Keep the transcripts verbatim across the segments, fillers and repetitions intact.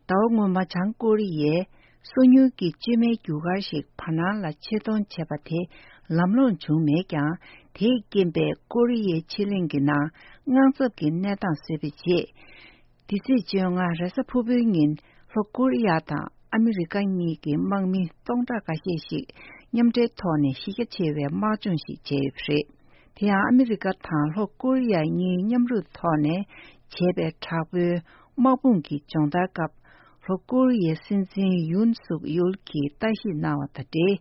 ཟླ་བ་སྔོན་མ་བྱང་ཀོ་རི་ཡས་སོ་ཉུལ་གྱི་བཅོས་མའི་རྒྱུ་སྐར་ཞིག་བར་སྣང་ལ་ཆེད་གཏོང་བྱས་པ་དེ་ལམ་ལྷོང་བྱུང་མེད་ཀྱང་། དེས་རྐྱེན་པས་ཀོ་རི་ཡའི་ཕྱེད་གླིང་གི་ནང་དངངས་འཚབ་ཀྱི་གནས་སྟངས་བཟོས་པའི་རྗེས། འདི་ཚེས་བཅོ་ལྔ་རེས་གཟའ་ཕུར་བུའི་ཉིན་ལྷོ་ཀོ་རི་ཡ་དང་ཨ་མི་རི་ཀ་གཉིས་ཀྱི་དམག་མི་སྟོང་ཕྲག་འགའ་ཤས་ཤིག་མཉམ་འབྲེལ་ཐོག་ནས་གཞི་རྒྱ་ཆེ་བའི་དམག་སྦྱོང་ཞིག་བྱས་ཡོད་པ་རེད། དེ་ཡང་ཨ་མི་རི་ཀ་དང་ལྷོ་ཀོ་རི་ཡ་གཉིས་མཉམ་རུབ་ཐོག་ནས་བྱས་པའི་དྲག་པོའི་དམག་དཔུང་གི་སྦྱོང་བརྡར་སྐབས། ལྷོ་ཀོ་རི་ཡའི་སྲིད་འཛིན་ཡུན་སུག་ཡུལ་གྱིས་བརྟག་ཞིབ་གནང་བ་དང་འབྲེལ།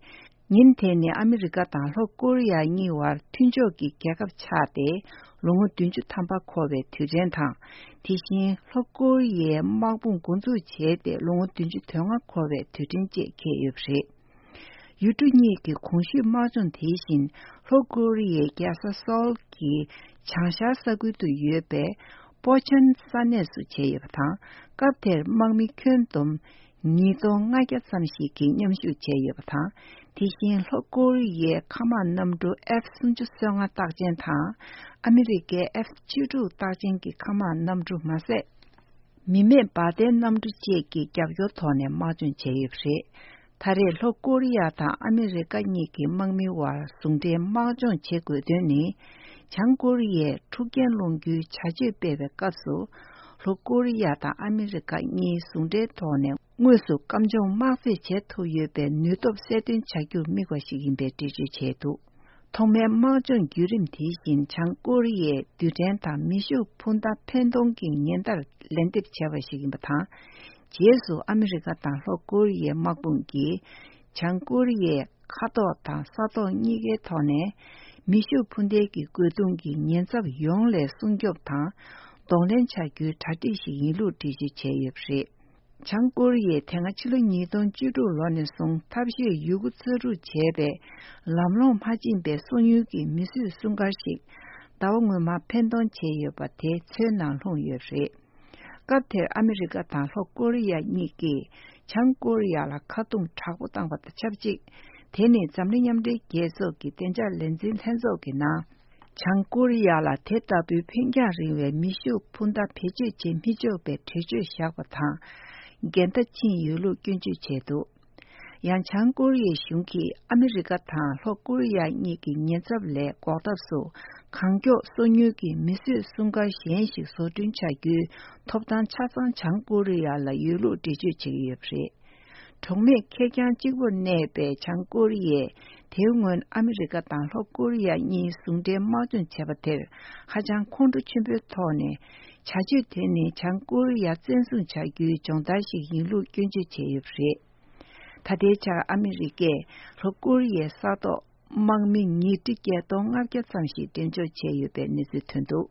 ཉིན་དེ་ནི་ཨ་མི་རི་ཀ་དང་ལྷོ་ཀོ་རི་ཡ་གཉིས་བར་མཐུན་ཕྱོགས་ཀྱི་རྒྱལ་ཁབ་ཆགས་ཏེ་ལོ་ངོ་བདུན་ཅུ་ཐམ་པ་འཁོར་བའི་དུས་དྲན་དང་། དེ་བཞིན་ལྷོ་ཀོ་རི་ཡའི་དམག་དཔུང་འགོ་འཛུགས་བྱས་ཏེ་ལོ་ངོ་བདུན་ཅུ་དོན་ལྔ་འཁོར་བའི་དུས་དྲན་བཅས་འཁེལ་ཡོད་པ་རེད། ཡུལ་གྲུ་གཉིས་ཀྱི་གོང་ཞུས་དམག་སྦྱོང་དེ་བཞིན་ལྷོ་ཀོ་རི་ཡའི་རྒྱལ་ས་སོལ་གྱི་བྱང་ཤར་ས་ཁུལ་དུ་ཡོད་པའི་པོ་ཆན་ས་གནས་སུ་བྱས་ཡོད་པ་དང་། སྐབས་དེར་དམག་མི་ཁྱོན་བསྡོམས་ཉིས་སྟོང་ལྔ་བརྒྱ་ཙམ་ཞིག་གིས་མཉམ་ཞུགས་བྱས་ཡོད་པ་དང་། དེ་བཞིན་ལྷོ་ཀོ་རི་ཡའི་མཁའ་དམག་གནམ་གྲུ་ཨེཕ་སུམ་ཅུ་སོ་ལྔ་རྟགས་ཅན་དང་། ཨ་མི་རི་ཀའི་ཨེཕ་བཅུ་དྲུག་རྟགས་ཅན་གྱི་མཁའ་དམག་གནམ་གྲུ་མ་ཟད། མི་མེད་འབར་མདེལ་གནམ་གྲུ་བཅས་ཀྱི་རྒྱབ་སྐྱོར་ཐོག་ནས་དམག་སྦྱོང་བྱས་ཡོད་པ་རེད། ད་རེས་ལྷོ་ཀོ་རི་ཡ་དང་ཨ་མི་རི་ཀ་གཉིས་ཀྱི་དམག་མིའི་དབར་ཟུང་འབྲེལ་དམག་སྦྱོང་བྱེད་དགོས་དོན་ནི། བྱང་ཀོ་རི་ཡས་འཁྲུག་རྐྱེན་སློང་རྒྱུའི་བྱ་སྤྱོད་སྤེལ་བའི་སྐབས་སུ། ལྷོ་ཀོ་རི་ཡ་དང་ཨ་མི་རི་ཀ་གཉིས་ཟུང་འབྲེལ་ཐོག་ནས་དངོས་སུ་སྐམ་སྦྱོང་དམག་རྩེད་བྱེད་ཐུབ་ཡོད་པའི་ནུས་སྟོབས་གསལ་སྟོན་བྱ་རྒྱུར་དམིགས་པ་ཞིག་ཡིན་པའི་འགྲེལ་བརྗོད་བྱས་འདུག་ཐོག་མའི་དམག་སྦྱོང་བརྒྱུད་རིམ་དེ་བཞིན་བྱང་ཀོ་རི་ཡས་རྡུལ་ཕྲན་དང་མེ་ཤུགས་འཕུར་མདའ་འཕེན་གཏོང་གི་ཉེན་བརྡར་ལན་འདེབས་བྱས་པ་ཞིག་ཡིན་པ་དང་། རྗེས་སུ་ཨ་མི་རི་ཀ་དང་ལྷོ་ཀོ་རི་ཡའི་དམག་དཔུང་གིས་བྱང་ཀོ་རི་ཡའི་མཁའ་ཐོག་དང་ས་ཐོག་གཉིས་ཀའི་ཐོག་ནས་མེ་ཤུགས་འཕུར་མདེལ་གྱི་རྒོལ་རྡུང་གི་ཉེན་ཚབས་ཡོངས་ལས་སྲུང་སྐྱོབ་དང་གདོང་ལེན་བྱ་རྒྱུའི་གྲ་སྒྲིག་ཞིག་ཡིན་ལུགས་འགྲེལ་བརྗོད་བྱས་ཡོད་པ་རེད། བྱང་ཀོ་རི་ཡས་དེ་སྔ་ཕྱི་ལོ་ཉིས་སྟོང་བཅུ་དྲུག་ལོ་ནས་བཟུང་ཐབས་ཤེས་ཡོད་རྒུ་རྩལ་སྤྲུགས་བྱས་པའི་ལམ་ལྷོང་མ་ཕྱིན་པའི་སོ་ཉུལ་གྱི་མི་གསོད་སྲུང་སྐར་ཞིག་ཟླ་བ་སྔོན་མ་འཕེན་གཏོང་བྱས་ཡོད་པ་དེ་མཚོའི་ནང་ལྷུང་ཡོད་པ་རེད། སྐབས་དེར་ཨ་མི་རི་ཀ་དང་ལྷོ་ཀོ་རི་ཡ་གཉིས་ཀྱིས་བྱང་ཀོ་རི་ཡ་ལ་ཁ་རྡུང་དྲག་པོ་བཏང་བ་དང་ཆབས་ཅིག་དེ་ནི་འཛམ་གླིང་མཉམ་འབྲེལ་རྒྱལ་ཚོགས་ཀྱི་བདེ་འཇགས་ལས་འཛིན་ལྷན་ཚོགས་ཀྱི་ནང་། བྱང་ཀོ་རི་ཡ་ལ་དེ་ལྟ་བུའི་འཕེན་རྒྱང་རིང་བའི་མེ་ཤུགས་འཕུར་མདའ་བེད་སྤྱོད་བྱེད་མི་ཆོག་པའི་གྲོས་ཆོད་བཞག་པ་དང་། འགལ་ཟླ་ཕྱིན་ཡོད་ལུགས་སྐྱོན་བརྗོད་བྱས་འདུག་ཡང་བྱང་ཀོ་རི་ཡའི་གཞུང་གིས་ཨ་མི་རི་ཀ་དང་ལྷོ་ཀོ་རི་ཡ་གཉིས་ཀྱི་ཉེན་ཚབས་ལས་འགོག་ཐབས་སུ། གང་མགྱོགས་སོ་ཉུལ་གྱི་མི་གསོད་སྲུང་སྐར་གཞན་ཞིག་བཟོ་སྐྲུན་བྱ་རྒྱུའི་ཐོབ་ཐང་ཆ་ཚང་བྱང་ཀོ་རི་ཡ་ལ་ཡོད་ལུགས་འགྲེལ་བརྗོད་བྱེད་ཀྱི་ཡོད་པ་རེད། གྲོགས་མེད་ཁེར་རྐྱང་གཅིག་པུར་གནས་པའི་བྱང་ཀོ་རི་ཡས་དེའི་སྔོན་ཨ་མི་རི་ཀ་དང་ལྷོ་ཀོ་རི་ཡ་གཉིས་ཟུང་འབྲེལ་དམག་སྦྱོང་བྱས་པ་དེར་ཧ་ཅང་ཁོང་ཁྲོ་ཆེན་པོའི་ཐོག་ནས། བྱ་སྤྱོད་དེ་ནི་བྱང་ཀོ་རི་ཡ་བཙན་བཟུང་བྱ་རྒྱུའི་སྦྱོང་བརྡར་ཞིག་ཡིན་ལུགས་སྐྱོན་བརྗོད་བྱས་ཡོད་པ་རེད། ད་ལྟའི་ཆར་ཨ་མི་རི་ཀས་ལྷོ་ཀོ་རི་ཡའི་ས་ཐོག་དམག་མི་ཉིས་ཁྲི་བརྒྱད་སྟོང་ལྔ་བརྒྱ་ཙམ་ཞིག་འགྲེམས་འཇོག་བྱས་ཡོད་པའི་གནས་ཚུལ་ཐོན་འདུག